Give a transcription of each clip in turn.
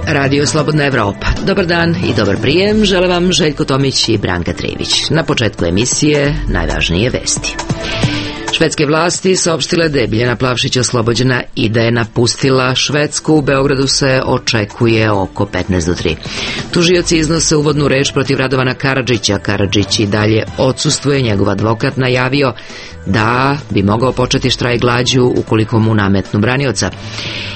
Radio Slobodna Evropa. Dobar dan i dobar prijem, žele vam Željko Tomić i Branka Trivić. Na početku emisije najvažnije vesti. Švedske vlasti saopštile da je Biljana Plavšić oslobođena i da je napustila Švedsku. U Beogradu se očekuje oko 15:03. Tužioci iznose uvodnu reč protiv Radovana Karadžića. Karadžić i dalje odsustuje, njegov advokat najavio da bi mogao početi štrajk glađu ukoliko mu nametnu branioca.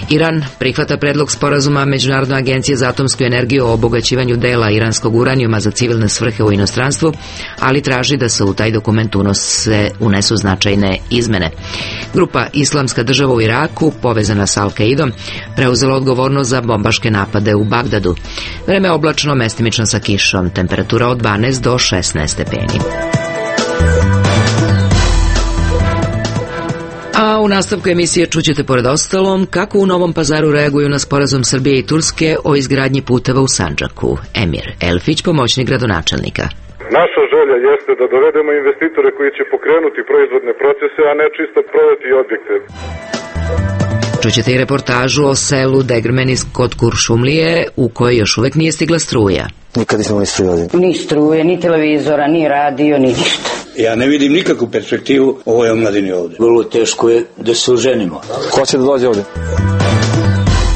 Iran prihvata predlog sporazuma Međunarodne agencije za atomsku energiju o obogaćivanju dela iranskog uranijuma za civilne svrhe u inostranstvu, ali traži da se u taj dokument unesu značajne izmene. Grupa Islamska država u Iraku, povezana sa Al-Kaidom, preuzela odgovornost za bombaške napade u Bagdadu. Vreme oblačno, mestimično sa kišom, temperatura od 12 do 16 stepeni. A u nastavku emisije čućete pored ostalom kako u Novom Pazaru reaguju na sporazum Srbije i Turske o izgradnji puteva u Sandžaku. Emir Elfić, pomoćnik gradonačelnika. Naša želja jeste da dovedemo investitore koji će pokrenuti proizvodne procese, a ne čisto prodati objekte. Čućete i reportažu o selu Degrmenis kod Kuršumlije, u kojoj još uvek nije stigla struja. Nikad nismo imali struje. Ni struje, ni televizora, ni radio, ni ništa. Ja ne vidim nikakvu perspektivu ovoj omladini ovde. Vrlo teško je da se oženimo. Ko će da dođe ovde?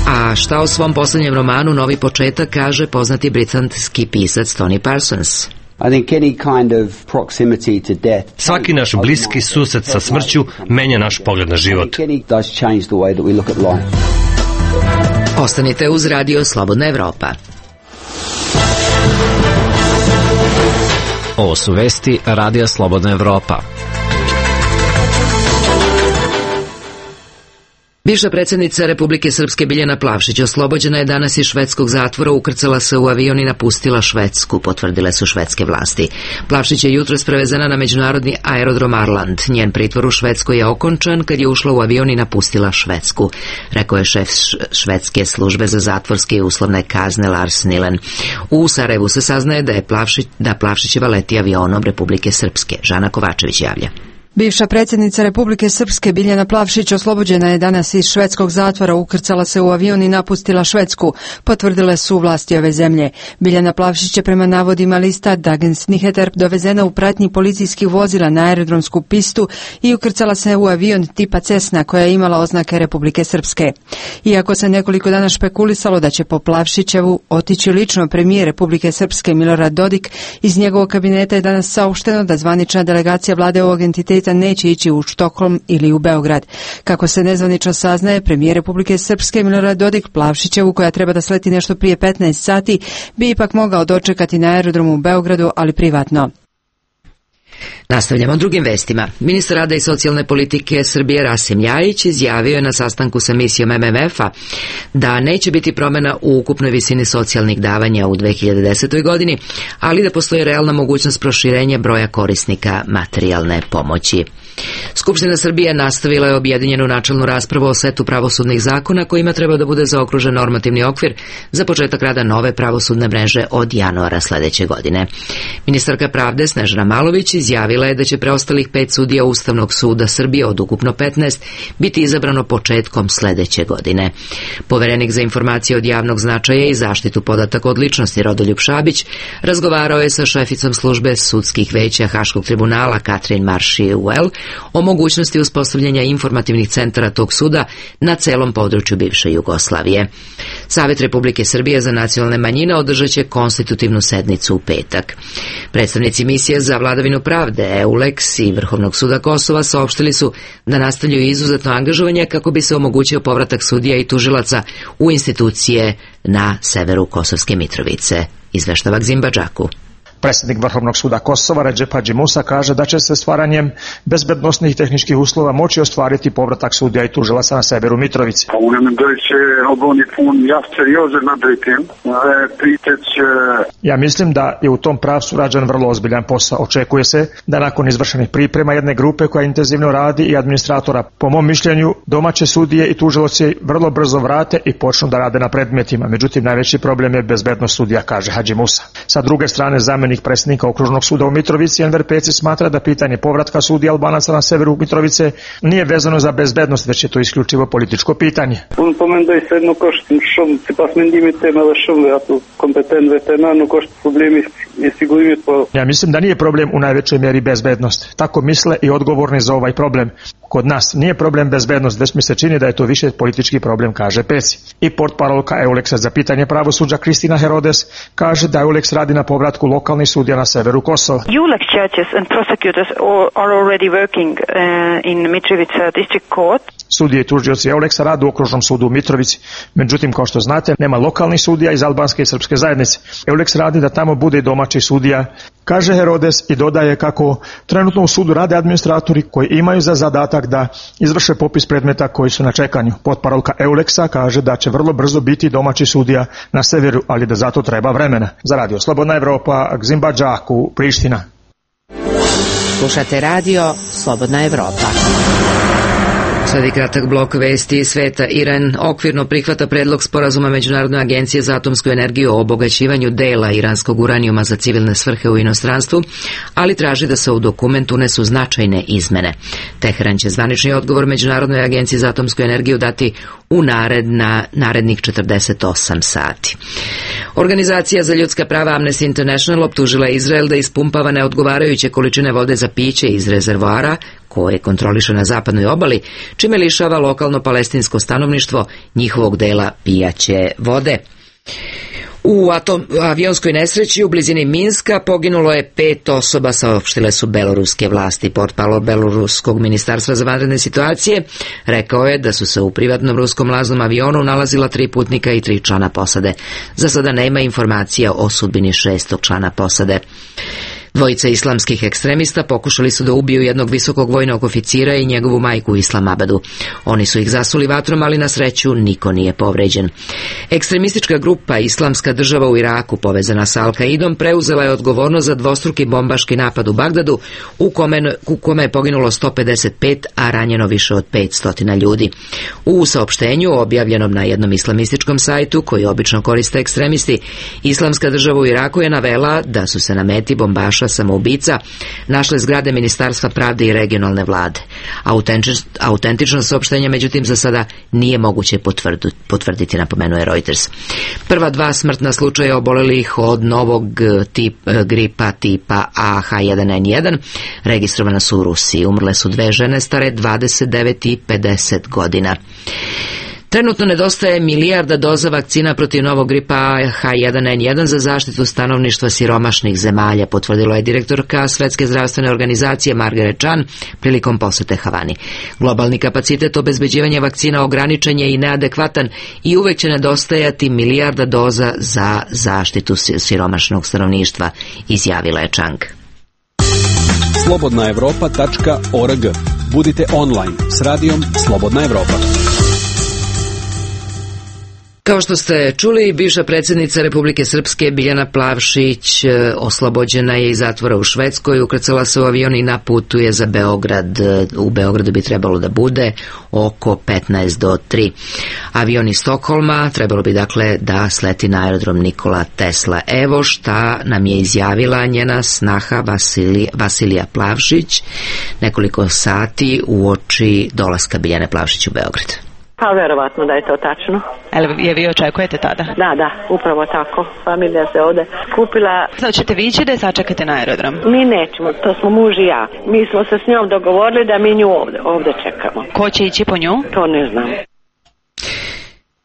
A šta o svom poslednjem romanu Novi početak kaže poznati britanski pisac Tony Parsons? Svaki naš bliski susret sa smrću menja naš pogled na život. Ostanite uz Radio Slobodna Evropa. Ovo su vesti Radija Slobodna Evropa. Bivša predsjednica Republike Srpske Biljana Plavšić oslobođena je danas iz švedskog zatvora, ukrcala se u avion i napustila Švedsku, potvrdile su švedske vlasti. Plavšić je jutros prevezena na međunarodni aerodrom Arland. Njen pritvor u Švedskoj je okončan kad je ušla u avion i napustila Švedsku, rekao je šef švedske službe za zatvorske i uslovne kazne Lars Nilen. U Sarajevu se saznaje da Plavšićeva leti avionom Republike Srpske. Žana Kovačević javlja. Bivša predsjednica Republike Srpske Biljana Plavšić oslobođena je danas iz švedskog zatvora, ukrcala se u avion i napustila Švedsku, potvrdile su vlasti ove zemlje. Biljana Plavšić je prema navodima lista Dagens Nyheter dovezena u pratnji policijskih vozila na aerodromsku pistu i ukrcala se u avion tipa Cessna koja je imala oznake Republike Srpske. Iako se nekoliko dana špekulisalo da će po Plavšićevu otići lično premijer Republike Srpske Milorad Dodik, iz njegovog kabineta je danas saopšteno da zvanična delegacija vlade ovog entiteta neće ići u Štokholm ili u Beograd. Kako se nezvanično saznaje, premijer Republike Srpske Milorad Dodik Plavšićevu, koja treba da sleti nešto prije 15 sati, bi ipak mogao dočekati na aerodromu u Beogradu, ali privatno. Nastavljamo drugim vestima. Ministar rada i socijalne politike Srbije Rasim Ljajić izjavio je na sastanku sa misijom MMF-a da neće biti promjena u ukupnoj visini socijalnih davanja u 2010. godini, ali da postoji realna mogućnost proširenja broja korisnika materijalne pomoći. Skupština Srbije nastavila je objedinjenu načelnu raspravu o setu pravosudnih zakona kojima treba da bude zaokružen normativni okvir za početak rada nove pravosudne mreže od januara sledeće godine. Ministarka pravde Snežana Malović izjavila je da će preostalih 5 sudija Ustavnog suda Srbije od ukupno 15 biti izabrano početkom sledeće godine. Poverenik za informacije od javnog značaja i zaštitu podataka od ličnosti Rodoljub Šabić razgovarao je sa šeficom službe sudskih veća Haškog tribunala Katrin Marši-Uel o mogućnosti uspostavljanja informativnih centara tog suda na celom području bivše Jugoslavije. Savet Republike Srbije za nacionalne manjine održat će konstitutivnu sednicu u petak. Predstavnici misije za vladavinu pravde EULEX i Vrhovnog suda Kosova saopštili su da nastavljaju izuzetno angažovanje kako bi se omogućio povratak sudija i tužilaca u institucije na severu Kosovske Mitrovice. Izveštava Gzimba Džaku. Predsjednik Vrhovnog suda Kosova Redžep Hadži Musa kaže da će se stvaranjem bezbednosnih i tehničkih uslova moći ostvariti povratak sudija i tužilaca na severu Mitrovice. Ja mislim da je u tom pravcu rađen vrlo ozbiljan posao. Očekuje se da nakon izvršenih priprema jedne grupe koja intenzivno radi i administratora, po mom mišljenju, domaće sudije i tužilaci vrlo brzo vrate i počnu da rade na predmetima. Međutim, najveći problem je bezbednost sudija, kaže Hadži Musa. Sa druge strane, zamenik zamjenik predsjednika okružnog suda u Mitrovici, Enver Peci, smatra da pitanje povratka sudija Albanaca na severu Mitrovice nije vezano za bezbednost, već je to isključivo političko pitanje. Ja mislim da nije problem u najvećoj mjeri bezbednost. Tako misle i odgovorni za ovaj problem. Kod nas nije problem bezbednost, već mi se čini da je to više politički problem, kaže Peci. I portparolka EULEX-a za pitanje pravosuđa Kristina Herodes kaže da EULEX radi na povratku lokalnih sudija na severu Kosova. EULEX judges and prosecutors are already working in Mitrovica district court. Sudije i tužioci EULEX-a rade u okružnom sudu u Mitrovici. Međutim, kao što znate, nema lokalnih sudija iz albanske i srpske zajednice. EULEX radi da tamo bude domaći sudija, kaže Herodes, i dodaje kako trenutno u sudu rade administratori koji imaju za zadatak da izvrše popis predmeta koji su na čekanju. Potparolka EULEX-a kaže da će vrlo brzo biti domaći sudija na severu, ali da zato treba vremena. Za Radio Slobodna Evropa, Gzimba Đaku, Priština. Slušate radio Slobodna Evropa. Sledi kratak blok vesti iz sveta. Iran okvirno prihvata predlog sporazuma Međunarodne agencije za atomsku energiju o obogaćivanju dela iranskog uranijuma za civilne svrhe u inostranstvu, ali traži da se u dokument unesu značajne izmene. Teheran će zvanični odgovor Međunarodnoj agenciji za atomsku energiju dati u narednih 48 sati. Organizacija za ljudska prava Amnesty International optužila Izrael da ispumpava neodgovarajuće količine vode za piće iz rezervoara koje kontroliše na zapadnoj obali, čime lišava lokalno palestinsko stanovništvo njihovog dela pijaće vode. U avionskoj nesreći u blizini Minska poginulo je 5 osoba, saopštile su beloruske vlasti. Portparol beloruskog ministarstva za vanredne situacije rekao je da su se u privatnom ruskom laznom avionu nalazila 3 putnika i 3 člana posade. Za sada nema informacija o sudbini 6. člana posade. Dvojica islamskih ekstremista pokušali su da ubiju jednog visokog vojnog oficira i njegovu majku u Islamabadu. Oni su ih zasuli vatrom, ali na sreću niko nije povređen. Ekstremistička grupa Islamska država u Iraku, povezana sa Al-Kaidom, preuzela je odgovornost za dvostruki bombaški napad u Bagdadu, u kome je poginulo 155, a ranjeno više od 500 ljudi. U saopštenju, objavljenom na jednom islamističkom sajtu, koji obično koriste ekstremisti, Islamska država u Iraku je navela da su se na meti bombaša samoubica našle zgrade Ministarstva pravde i regionalne vlade. Autentično saopštenje, međutim, za sada nije moguće potvrditi, napomenuje Reuters. Prva 2 smrtna slučaja obolelih od novog gripa tipa AH1N1 registrovana su u Rusiji. Umrle su 2 žene stare 29 i 50 godina. Trenutno nedostaje 1 milijarda doza vakcina protiv novog gripa H1N1 za zaštitu stanovništva siromašnih zemalja, potvrdila je direktorka Svetske zdravstvene organizacije Margaret Chan prilikom posete Havani. Globalni kapacitet obezbeđivanja vakcina ograničen je i neadekvatan i uvek će nedostajati 1 milijarda doza za zaštitu siromašnog stanovništva, izjavila je Chang. slobodnaevropa.org. Budite online s radijom Slobodna Evropa. Kao što ste čuli, bivša predsjednica Republike Srpske Biljana Plavšić oslobođena je iz zatvora u Švedskoj, ukrcala se u avion i na putu je za Beograd. U Beogradu bi trebalo da bude oko 15 do 3. Avion iz Stokholma trebalo bi dakle da sleti na aerodrom Nikola Tesla. Evo šta nam je izjavila njena snaha Vasilija Plavšić nekoliko sati uoči dolaska Biljane Plavšić u Beograd. Pa verovatno da je to tačno. Je vi očekujete tada? Da, upravo tako. Familija se ovde skupila. Sad ćete vi ići da je sačekate na aerodrom? Mi nećemo, to smo muž i ja. Mi smo se s njom dogovorili da mi nju ovde čekamo. Ko će ići po nju? To ne znam.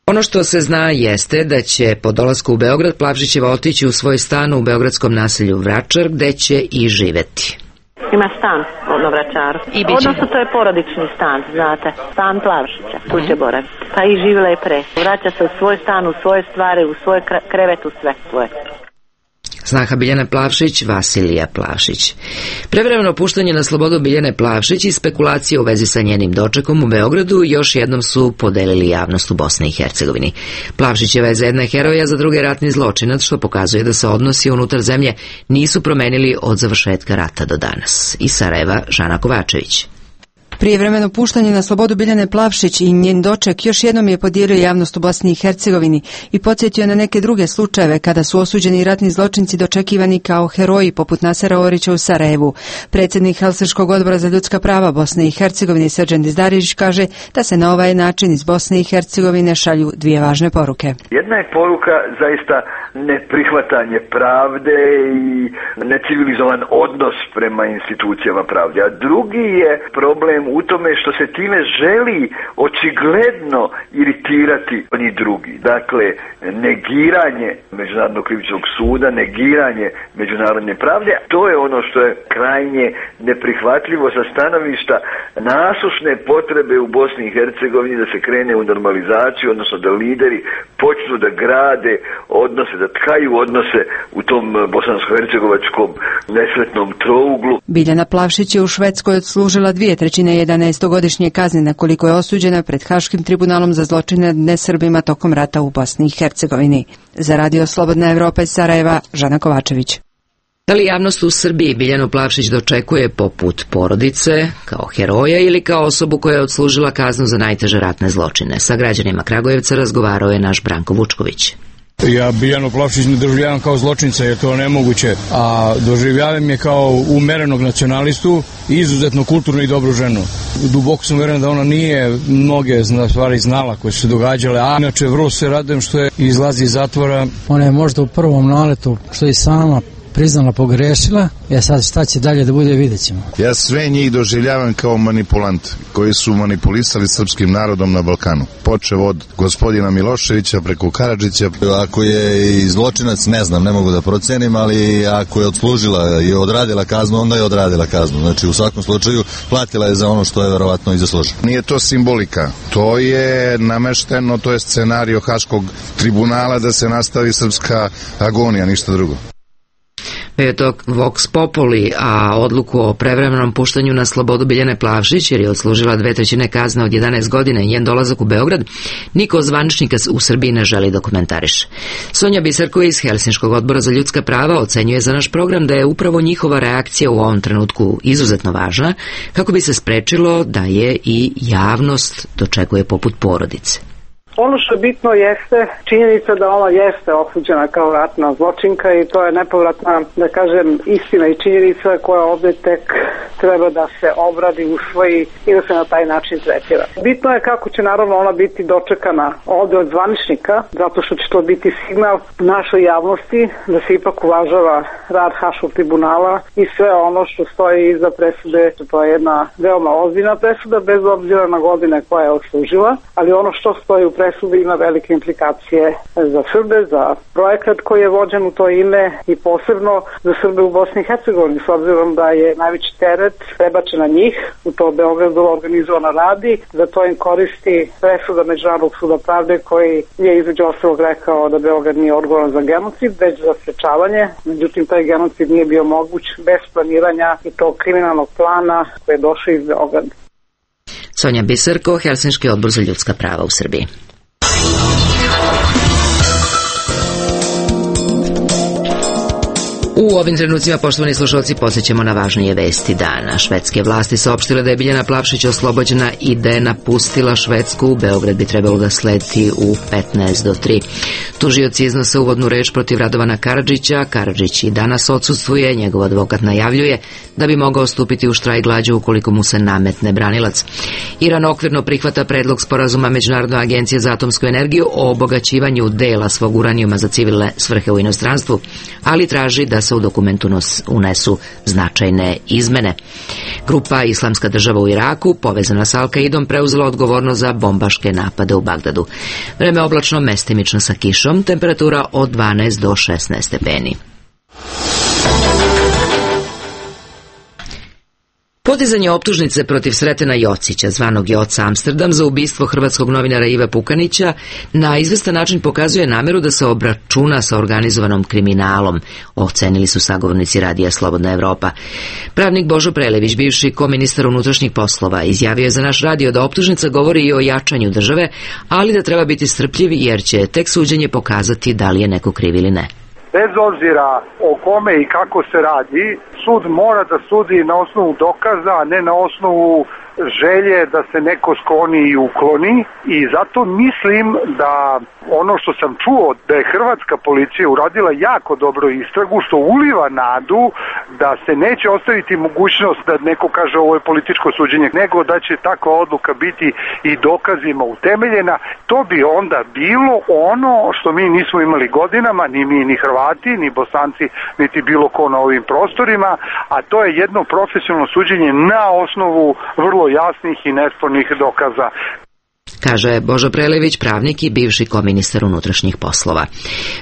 Ono što se zna jeste da će po dolasku u Beograd Plavšićeva otići u svoj stan u beogradskom naselju Vračar, gde će i živeti. Ima stan na Vračaru. Odnosno to je porodični stan, znate. Stan Plavšića, tu će boraviti. Pa i živjela je pre. Vraća se u svoj stan, u svoje stvari, u svoj krevet, u sve svoje. Snaha Biljane Plavšić, Vasilija Plavšić. Prevremeno puštanje na slobodu Biljane Plavšić i spekulacije u vezi sa njenim dočekom u Beogradu još jednom su podelili javnost u Bosni i Hercegovini. Plavšićeva je za jedne heroja, za druge ratni zločinac, što pokazuje da se odnosi unutar zemlje nisu promenili od završetka rata do danas. Iz Sarajeva, Žana Kovačević. Prijevremeno puštanje na slobodu Biljane Plavšić i njen doček još jednom je podijelio javnost u Bosni i Hercegovini i podsjetio na neke druge slučajeve kada su osuđeni ratni zločinci dočekivani kao heroji poput Nasera Orića u Sarajevu. Predsjednik Helsinškog odbora za ljudska prava Bosne i Hercegovine Srđan Dizdarić kaže da se na ovaj način iz Bosne i Hercegovine šalju dvije važne poruke. Jedna je poruka zaista neprihvatanje pravde i necivilizovan odnos prema institucijama pravde, a drugi je problem u tome što se time želi očigledno iritirati oni drugi. Dakle, negiranje Međunarodnog krivičnog suda, negiranje međunarodne pravde, to je ono što je krajnje neprihvatljivo sa stanovišta nasušne potrebe u Bosni i Hercegovini da se krene u normalizaciju, odnosno da lideri počnu da grade odnose, da tkaju odnose u tom bosansko-hercegovačkom nesretnom trouglu. Biljana Plavšić je u Švedskoj odslužila 2/3 11-godišnje kazne na koliko je osuđena pred Haškim tribunalom za zločine nad nesrbima tokom rata u Bosni i Hercegovini. Za Radio Slobodna Evropa iz Sarajeva, Žana Kovačević. Da li javnost u Srbiji Biljanu Plavšić dočekuje poput porodice, kao heroja ili kao osobu koja je odslužila kaznu za najteže ratne zločine? Sa građanima Kragujevca razgovarao je naš Branko Vučković. Ja Biljanu Plavšić ne doživljavam kao zločinca, jer to je nemoguće, a doživljavam je kao umerenog nacionalistu i izuzetno kulturnu i dobru ženu. Duboko sam uveren da ona nije mnoge stvari znala koje su se događale, a inače vrlo se radujem što je izlazi iz zatvora. Ona je možda u prvom naletu što je sama priznala pogrešila, sad šta će dalje da bude, vidjet ćemo. Ja sve njih doživljavam kao manipulant koji su manipulisali srpskim narodom na Balkanu. Počev od gospodina Miloševića preko Karadžića. Ako je i zločinac, ne znam, ne mogu da procenim, ali ako je odslužila i odradila kaznu, onda je odradila kaznu. Znači u svakom slučaju platila je za ono što je verovatno i zaslužila. Nije to simbolika, to je namešteno, to je scenario Haškog tribunala da se nastavi srpska agonija, ništa drugo. Je to Vox Populi, a odluku o prevremenom puštanju na slobodu Biljane Plavšić, jer je odslužila 2/3 kazne od 11 godina i njen dolazak u Beograd, niko od zvaničnika u Srbiji ne želi da komentariše. Sonja Biserko iz Helsinškog odbora za ljudska prava ocenjuje za naš program da je upravo njihova reakcija u ovom trenutku izuzetno važna, kako bi se sprečilo da je i javnost dočekuje poput porodice. Ono što je bitno jeste činjenica da ona jeste osuđena kao ratna zločinka i to je nepovratna, da kažem, istina i činjenica koja ovdje tek treba da se obradi, usvoji i da se na taj način tretira. Bitno je kako će naravno ona biti dočekana ovdje od zvaničnika, zato što će to biti signal našoj javnosti da se ipak uvažava rad Haškog tribunala i sve ono što stoji iza presude. To je jedna veoma ozbiljna presuda bez obzira na godine koja je odslužila, ali ono što stoji u presudi ima velike implikacije za Srbe, za projekat koji je vođen u to ime i posebno za Srbe u Bosni i Hercegovini, s obzirom da je najveći teret prebačen na njih, u to Beogradu organizovano radi, da to im koristi presuda Međunarodnog suda pravde koji je između ostalog rekao da Beograd nije odgovoran za genocid, već za sprečavanje. Međutim, taj genocid nije bio moguć bez planiranja i tog kriminalnog plana koji je došao iz Beograda. Sonja Biserko, Helsinški odbor za ljudska prava u Srbiji. U ovim trenucima, poštovani slušalci, posjećamo na važnije vesti dana. Švedske vlasti saopštile da je Biljana Plavšić oslobođena i da je napustila Švedsku. U Beograd bi trebalo da sleti u 15:03. Tužioci iznose uvodnu reč protiv Radovana Karadžića. Karadžić i danas odsustvuje, njegov advokat najavljuje da bi mogao stupiti u štrajk glađu ukoliko mu se nametne branilac. Iran okvirno prihvata predlog sporazuma Međunarodne agencije za atomsku energiju o obogaćivanju dela svog uranijuma za civilne svrhe u inostranstvu, ali traži da se u dokumentu unesu značajne izmene. Grupa Islamska država u Iraku, povezana s Al-Kaidom, preuzela odgovornost za bombaške napade u Bagdadu. Vreme oblačno, mestimično sa kišom, temperatura od 12 do 16 stepeni. Podizanje optužnice protiv Sretena Jocića, zvanog Joca Amsterdam, za ubistvo hrvatskog novinara Ive Pukanića na izvestan način pokazuje nameru da se obračuna sa organizovanom kriminalom, ocenili su sagovornici Radija Slobodna Evropa. Pravnik Božo Prelević, bivši koministar unutrašnjih poslova, izjavio je za naš radio da optužnica govori i o jačanju države, ali da treba biti strpljiv jer će tek suđenje pokazati da li je neko kriv ili ne. Bez obzira o kome i kako se radi, sud mora da sudi na osnovu dokaza, a ne na osnovu želje da se neko skloni i ukloni, i zato mislim da ono što sam čuo da je hrvatska policija uradila jako dobro istragu, što uliva nadu da se neće ostaviti mogućnost da neko kaže ovo je političko suđenje, nego da će takva odluka biti i dokazima utemeljena. To bi onda bilo ono što mi nismo imali godinama, ni mi, ni Hrvati, ni Bosanci, niti bilo ko na ovim prostorima, a to je jedno profesionalno suđenje na osnovu vrlo jasnih i nespornih dokaza. Kaže Božo Prelević, pravnik i bivši koministar unutrašnjih poslova.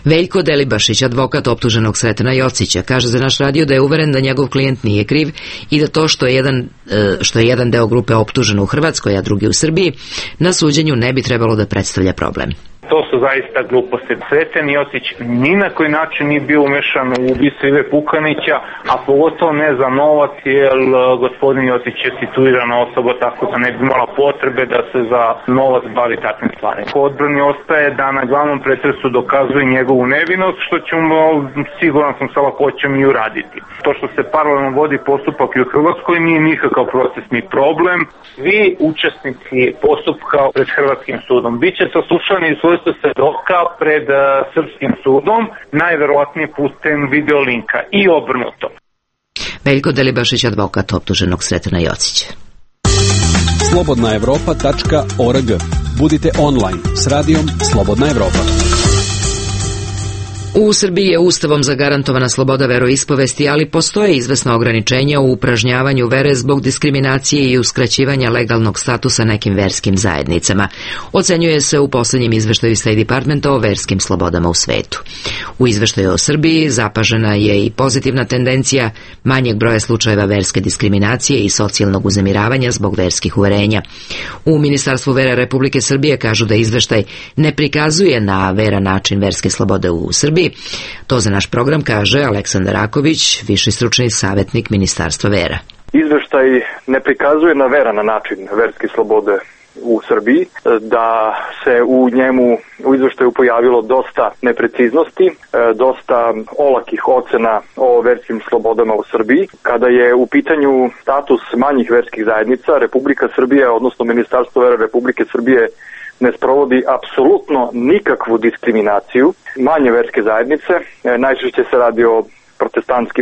Veljko Delibašić, advokat optuženog Sretena Jocića, kaže za naš radio da je uveren da njegov klijent nije kriv i da to što je jedan deo grupe optužen u Hrvatskoj, a drugi u Srbiji, na suđenju ne bi trebalo da predstavlja problem. To su zaista gluposti. Sreten Jocić ni na koji način nije bio umešan u ubistvo Ive Pukanića, a pogotovo ne za novac, jer gospodin Jocić je situirana osoba, tako da ne bi imala potrebe da se za novac bavi takvim stvarima. Po odbrani ostaje da na glavnom pretresu dokazuje njegovu nevinost, što ćemo, siguran sam, sa lakoćom i uraditi. To što se paralelno vodi postupak i u Hrvatskoj nije nikakav procesni problem. Svi učesnici postupka pred Hrvatskim sudom biće saslušani i svojstvo svedoka pred srpskim sudom, najverovatnije putem videolinka i obrnuto. Veljko Delibašić, advokat optuženog Sretena Jocića. Slobodnaevropa.org. Budite online s radijom Slobodna Evropa. U Srbiji je Ustavom zagarantovana sloboda veroispovesti, ali postoje izvesna ograničenja u upražnjavanju vere zbog diskriminacije i uskraćivanja legalnog statusa nekim verskim zajednicama. Ocenjuje se u posljednjem izveštaju State Departmenta o verskim slobodama u svetu. U izveštaju o Srbiji zapažena je i pozitivna tendencija manjeg broja slučajeva verske diskriminacije i socijalnog uznemiravanja zbog verskih uverenja. U Ministarstvu vere Republike Srbije kažu da izveštaj ne prikazuje na veran način verske slobode u Srbiji. To za naš program kaže Aleksandar Raković, viši stručni savjetnik Ministarstva vera. Izveštaj ne prikazuje na veran način verske slobode u Srbiji, da se u izveštaju pojavilo dosta nepreciznosti, dosta olakih ocena o verskim slobodama u Srbiji. Kada je u pitanju status manjih verskih zajednica, Republika Srbija, odnosno Ministarstvo vera Republike Srbije, ne sprovodi apsolutno nikakvu diskriminaciju manje verske zajednice. Najčešće se radi o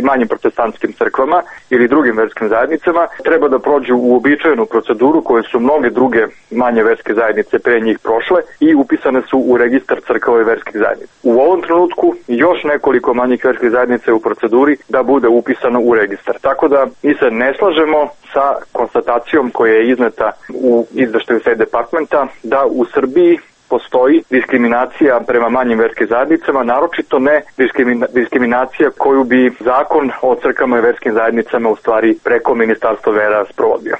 manjim protestantskim crkvama ili drugim verskim zajednicama, treba da prođu u uobičajenu proceduru koje su mnoge druge manje verske zajednice pre njih prošle i upisane su u registar crkava i verskih zajednica. U ovom trenutku još nekoliko manjih verskih zajednica je u proceduri da bude upisano u registar. Tako da mi se ne slažemo sa konstatacijom koja je izneta u izveštaju State Departmenta da u Srbiji postoji diskriminacija prema manjim verskim zajednicama, naročito ne diskriminacija koju bi zakon o crkvama i verskim zajednicama u stvari preko Ministarstva vera sprovodio.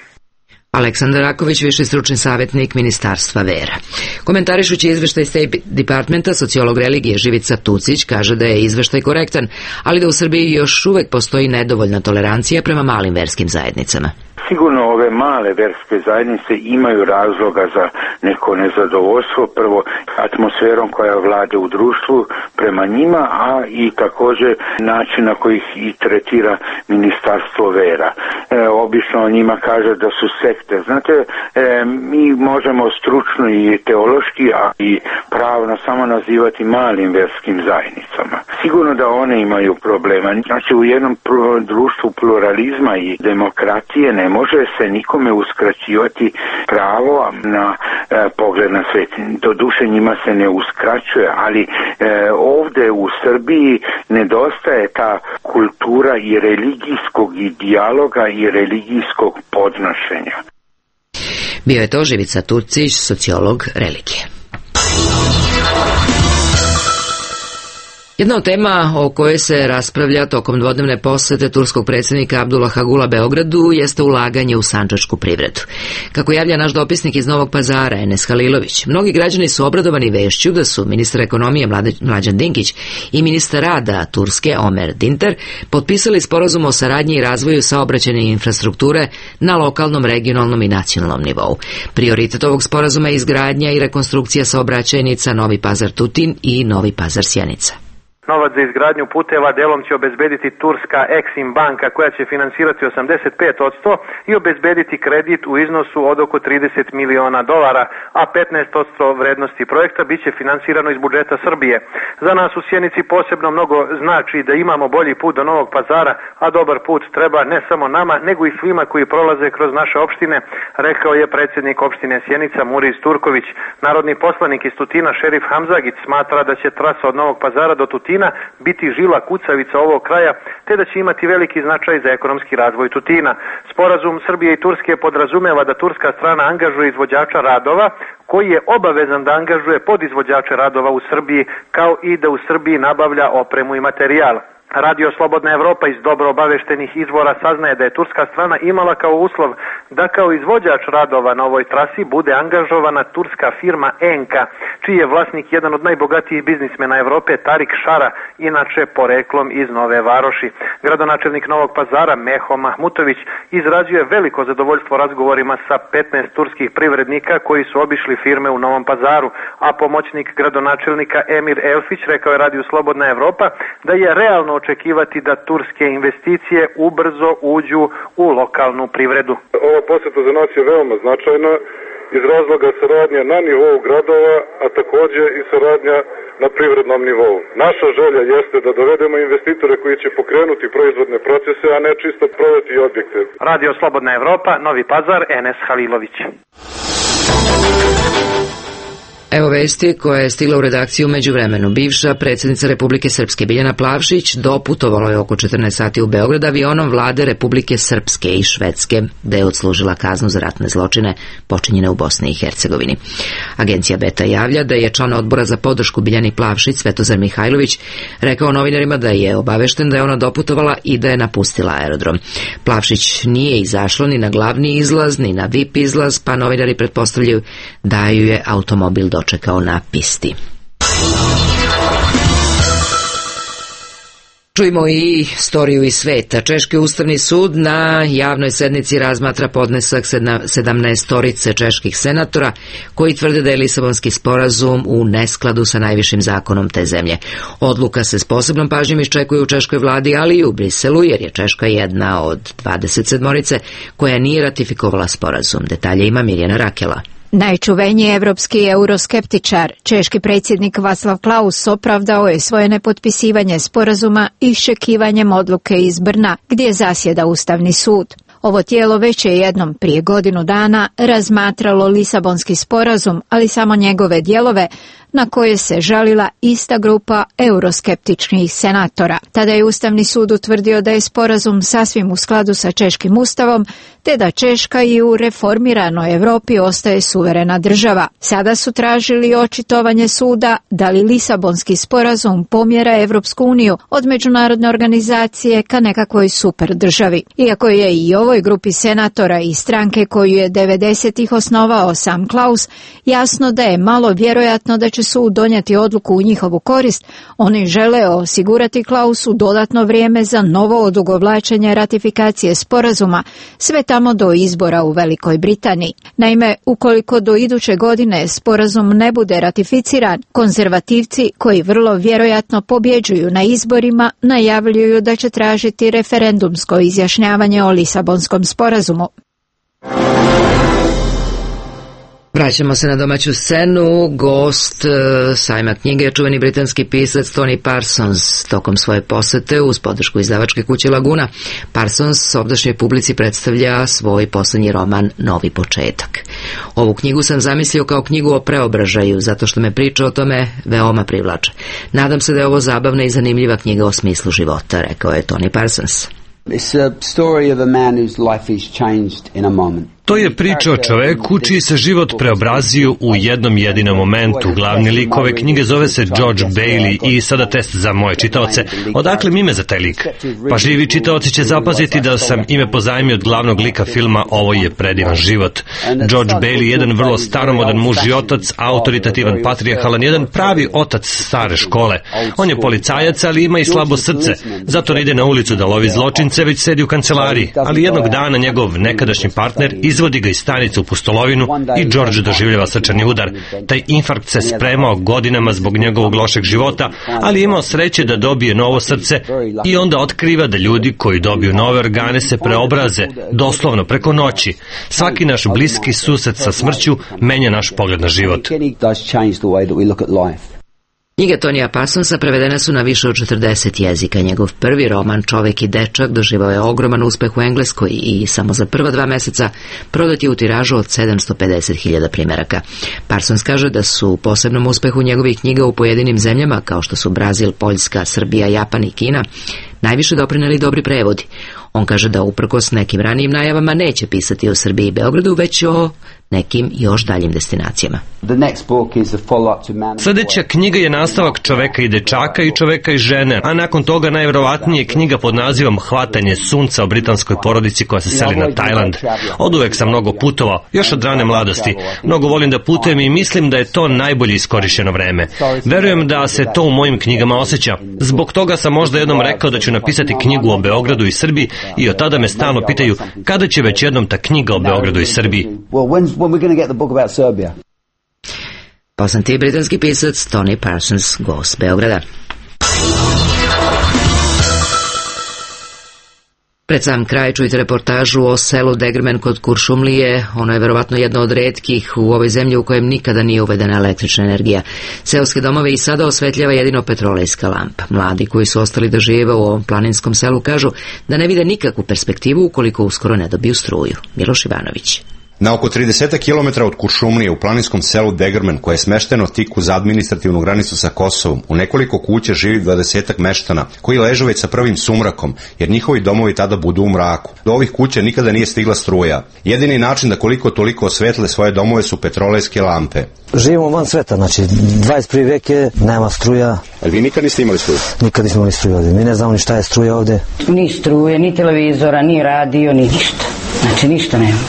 Aleksandar Raković, viši stručni savjetnik Ministarstva vera. Komentarišući izveštaj State Departmenta, sociolog religije Živica Tucić kaže da je izveštaj korektan, ali da u Srbiji još uvek postoji nedovoljna tolerancija prema malim verskim zajednicama. Sigurno ove male verske zajednice imaju razloga za neko nezadovoljstvo, prvo atmosferom koja vlade u društvu prema njima, a i također način na koji ih i tretira Ministarstvo vera. Obično o njima kaže da su sekte. Znate, mi možemo stručno i teološki, a i pravno samo nazivati malim verskim zajednicama. Sigurno da one imaju problema. Znači, u jednom društvu pluralizma i demokratije ne može se nikome uskraćivati pravo na pogled na svet. Doduše njima se ne uskraćuje, ali ovdje u Srbiji nedostaje ta kultura i religijskog i dijaloga i religijskog podnošenja. Bio je to Živica Tucić, sociolog religije. Jedna od tema o kojoj se raspravlja tokom dvodnevne posete turskog predsjednika Abdullaha Gula Beogradu jeste ulaganje u sandžačku privredu. Kako javlja naš dopisnik iz Novog Pazara, Enes Halilović, mnogi građani su obradovani vešću da su ministar ekonomije Mlađan Dinkić i ministar rada Turske Omer Dinter potpisali sporazum o saradnji i razvoju saobraćajne infrastrukture na lokalnom, regionalnom i nacionalnom nivou. Prioritet ovog sporazuma je izgradnja i rekonstrukcija saobraćajnica Novi Pazar Tutin i Novi Pazar Sjenica. Novac za izgradnju puteva delom će obezbediti turska Exim banka koja će finansirati 85% i obezbediti kredit u iznosu od oko $30 miliona, a 15% vrednosti projekta biće finansirano iz budžeta Srbije. Za nas u Sjenici posebno mnogo znači da imamo bolji put do Novog Pazara, a dobar put treba ne samo nama, nego i svima koji prolaze kroz naše opštine, rekao je predsjednik opštine Sjenica Muris Turković. Narodni poslanik iz Tutina Šerif Hamzagić smatra da će trasa od Novog Pazara do Tutina biti žila kucavica ovog kraja, te da će imati veliki značaj za ekonomski razvoj Tutina. Sporazum Srbije i Turske podrazumeva da turska strana angažuje izvođača radova, koji je obavezan da angažuje podizvođače radova u Srbiji, kao i da u Srbiji nabavlja opremu i materijal. Radio Slobodna Evropa iz dobro obaveštenih izvora saznaje da je turska strana imala kao uslov da kao izvođač radova na ovoj trasi bude angažovana turska firma Enka, čiji je vlasnik jedan od najbogatijih biznismena Evrope, Tarik Šara, inače poreklom iz Nove Varoši. Gradonačelnik Novog Pazara, Meho Mahmutović, izrazio veliko zadovoljstvo razgovorima sa 15 turskih privrednika koji su obišli firme u Novom Pazaru, a pomoćnik gradonačelnika Emir Elfić rekao je Radio Slobodna Evropa da je realno očekivati da turske investicije ubrzo uđu u lokalnu privredu. Ova poseta za nas je veoma značajna iz razloga saradnja na nivou gradova, a takođe i saradnja na privrednom nivou. Naša želja jeste da dovedemo investitore koji će pokrenuti proizvodne procese, a ne čisto prodati objekte. Radio Slobodna Evropa, Novi Pazar, Enes Halilović. Evo vesti koja je stigla u redakciju među vremenu. Bivša predsjednica Republike Srpske Biljana Plavšić doputovala je oko 14 sati u Beograd avionom vlade Republike Srpske i Švedske, da je odslužila kaznu za ratne zločine počinjene u Bosni i Hercegovini. Agencija Beta javlja da je član odbora za podršku Biljani Plavšić, Svetozar Mihajlović, rekao novinarima da je obavešten da je ona doputovala i da je napustila aerodrom. Plavšić nije izašla ni na glavni izlaz, ni na VIP izlaz, pa novinari pretpostavljaju da ju je automobil dočekao na pisti. Čujmo i storiju iz sveta. Češki ustavni sud na javnoj sednici razmatra podnesak 17 čeških senatora koji tvrde da je Lisabonski sporazum u neskladu sa najvišim zakonom te zemlje. Odluka se s posebnom pažnjom iščekuje u češkoj vladi, ali i u Briselu, jer je Češka jedna od 27 koja nije ratifikovala sporazum. Detalje ima Mirjana Rakela. Najčuveniji evropski euroskeptičar, češki predsjednik Václav Klaus, opravdao je svoje nepotpisivanje sporazuma iščekivanjem odluke iz Brna, gdje zasjeda Ustavni sud. Ovo tijelo već je jednom prije godinu dana razmatralo Lisabonski sporazum, ali samo njegove dijelove, na koje se žalila ista grupa euroskeptičnih senatora. Tada je Ustavni sud utvrdio da je sporazum sasvim u skladu sa češkim ustavom, te da Češka i u reformiranoj Europi ostaje suverena država. Sada su tražili očitovanje suda da li Lisabonski sporazum pomjera Evropsku uniju od međunarodne organizacije ka nekakvoj super državi. Iako je i ovoj grupi senatora i stranke koju je 90-ih osnovao sam Klaus jasno da je malo vjerojatno da će sud donijeti odluku u njihovu korist, oni žele osigurati Klausu dodatno vrijeme za novo odugovlačenje ratifikacije sporazuma, sve tamo do izbora u Velikoj Britaniji. Naime, ukoliko do iduće godine sporazum ne bude ratificiran, konzervativci koji vrlo vjerojatno pobjeđuju na izborima najavljuju da će tražiti referendumsko izjašnjavanje o Lisabonskom sporazumu. Vraćamo se na domaću scenu. Gost sajma knjige je čuveni britanski pisac Tony Parsons. Tokom svoje posete uz podršku izdavačke kuće Laguna, Parsons ovdašnjoj publici predstavlja svoj posljednji roman Novi početak. Ovu knjigu sam zamislio kao knjigu o preobražaju, zato što me priča o tome veoma privlače. Nadam se da je ovo zabavna i zanimljiva knjiga o smislu života, rekao je Tony Parsons. It's a story of a man whose life is changed in a moment. To je priča o čoveku čiji se život preobrazio u jednom jedinom momentu. Glavni lik ove knjige zove se George Bailey i sada test za moje čitaoce. Odakle mi ime za taj lik? Pažljivi čitaoci će zapaziti da sam ime pozajmio od glavnog lika filma Ovo je predivan život. George Bailey je jedan vrlo staromodan muž i otac, autoritativan, patrijarhalan, jedan pravi otac stare škole. On je policajac, ali ima i slabo srce. Zato ne ide na ulicu da lovi zločince, već sedi u kancelariji. Ali jednog dana njegov nekadašnji partner izvodi ga iz stanice u pustolovinu i George doživljava srčani udar. Taj infarkt se spremao godinama zbog njegovog lošeg života, ali imao sreće da dobije novo srce i onda otkriva da ljudi koji dobiju nove organe se preobraze, doslovno preko noći. Svaki naš bliski susret sa smrću menja naš pogled na život. Knjige Tonija Parsonsa prevedene su na više od 40 jezika. Njegov prvi roman Čovek i dečak doživao je ogroman uspeh u Engleskoj i samo za prva 2 meseca prodat je u tiražu od 750.000 primjeraka. Parsons kaže da su u posebnom uspehu njegovih knjiga u pojedinim zemljama, kao što su Brazil, Poljska, Srbija, Japan i Kina, najviše doprineli dobri prevodi. On kaže da uprkos nekim ranijim najavama neće pisati o Srbiji i Beogradu, već o nekim još daljim destinacijama. Sljedeća knjiga je nastavak Čoveka i dečaka i Čoveka i žene, a nakon toga najvjerovatnije knjiga pod nazivom Hvatanje sunca o britanskoj porodici koja se seli na Tajland. Oduvek sam mnogo putovao, još od rane mladosti. Mnogo volim da putujem i mislim da je to najbolje iskorišćeno vreme. Verujem da se to u mojim knjigama osjeća. Zbog toga sam možda jednom rekao da ću napisati knjigu o Beogradu i Srbiji i od tada me stalno pitaju kada će već jednom ta knjiga o Beogradu i Srbiji. Poznati britanski pisac Tony Parsons, gost Beograda. Pred sam kraj čujte reportažu o selu Degerman kod Kuršumlije. Ono je verovatno jedno od retkih u ovoj zemlji u kojem nikada nije uvedena električna energija. Seoske domove i sada osvetljava jedino petrolejska lampa. Mladi koji su ostali da žive u ovom planinskom selu kažu da ne vide nikakvu perspektivu ukoliko uskoro ne dobiju struju. Miloš Ivanović. Na oko 30 km od Kuršumlije u planinskom selu Degerman, koje je smešteno tik uz administrativnu granicu sa Kosovom, u nekoliko kuća živi 20 meštana, koji ležu već sa prvim sumrakom, jer njihovi domovi tada budu u mraku. Do ovih kuća nikada nije stigla struja. Jedini način da koliko toliko osvetle svoje domove su petrolejske lampe. Živimo van sveta, znači 21. vek je, nema struja. Ali vi nikad niste imali struju? Nikad nismo imali struju ovdje, mi ne znamo ni šta je struja ovdje. Ni struje, ni televizora, ni radio, ni ništa. Znači ništa nema.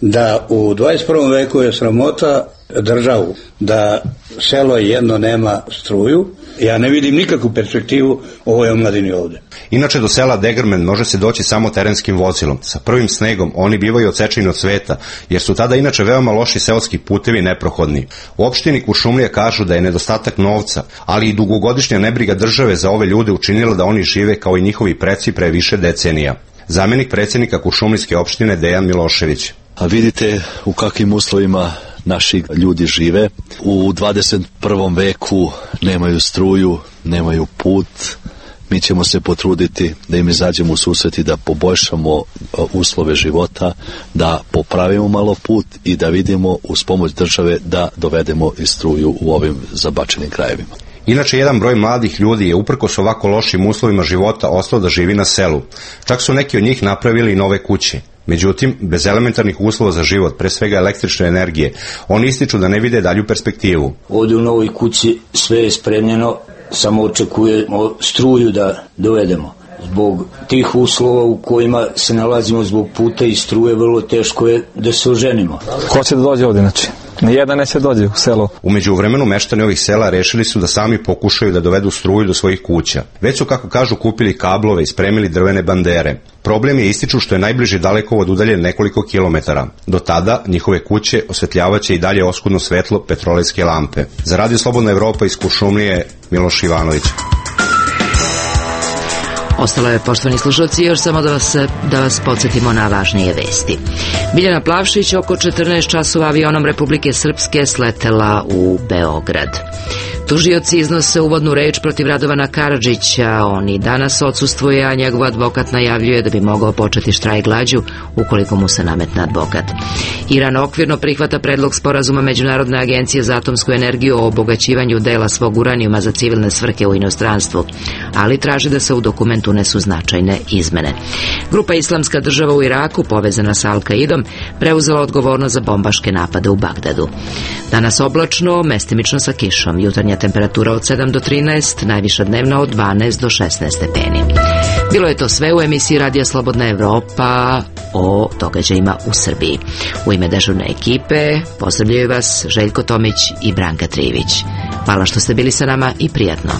Da u 21. veku je sramota državu, da selo jedno nema struju. Ja ne vidim nikakvu perspektivu ovoj omladini ovdje. Inače do sela Degerman može se doći samo terenskim vozilom. Sa prvim snegom oni bivaju odsečeni od sveta, jer su tada inače veoma loši seoski putevi neprohodni. U opštini Kuršumlija kažu da je nedostatak novca, ali i dugogodišnja nebriga države za ove ljude učinila da oni žive kao i njihovi preci pre više decenija. Zamenik predsjednika Kuršumlijske opštine Dejan Milošević. A vidite u kakvim uslovima naši ljudi žive. U 21. veku nemaju struju, nemaju put. Mi ćemo se potruditi da im izađemo u susret i da poboljšamo uslove života, da popravimo malo put i da vidimo uz pomoć države da dovedemo i struju u ovim zabačenim krajevima. Inače, jedan broj mladih ljudi je uprkos ovako lošim uslovima života ostao da živi na selu. Čak su neki od njih napravili i nove kuće. Međutim, bez elementarnih uslova za život, pre svega električne energije, oni ističu da ne vide dalju perspektivu. Ovdje u novoj kući sve je spremljeno, samo očekujemo struju da dovedemo. Zbog tih uslova u kojima se nalazimo zbog puta i struje, vrlo teško je da se oženimo. Ko će da dođe ovdje, znači? Nijedan neće dođe u selo. U međuvremenu meštani ovih sela rešili su da sami pokušaju da dovedu struju do svojih kuća. Već su, kako kažu, kupili kablove i spremili drvene bandere. Problem je, ističu, što je najbliži dalekovod udaljen nekoliko kilometara. Do tada njihove kuće osvetljavaće i dalje oskudno svetlo petrolejske lampe. Za Radio Slobodna Evropa iz Kuršumlije, Miloš Ivanović. Ostalo je, poštovani slušalci, još samo da vas podsjetimo na važnije vesti. Biljana Plavšić oko 14 časova avionom Republike Srpske sletela u Beograd. Tužioci iznose uvodnu reč protiv Radovana Karadžića. On i danas odsustvuje, a njegov advokat najavljuje da bi mogao početi štrajk glađu ukoliko mu se nametne advokat. Iran okvirno prihvata predlog sporazuma Međunarodne agencije za atomsku energiju o obogaćivanju dela svog uranijuma za civilne svrhe u inostranstvu, ali traži da se u dokumentu unesu značajne izmene. Grupa Islamska država u Iraku, povezana sa Al-Kaidom, preuzela odgovornost za bombaške napade u Bagdadu. Danas oblačno, mestimično sa kišom. Jutarnja temperatura od 7 do 13, najviša dnevna od 12 do 16 stepeni. Bilo je to sve u emisiji Radija Slobodna Evropa o događajima u Srbiji. U ime dežurne ekipe pozdravljaju vas Željko Tomić i Branka Trivić. Hvala što ste bili sa nama i prijatno.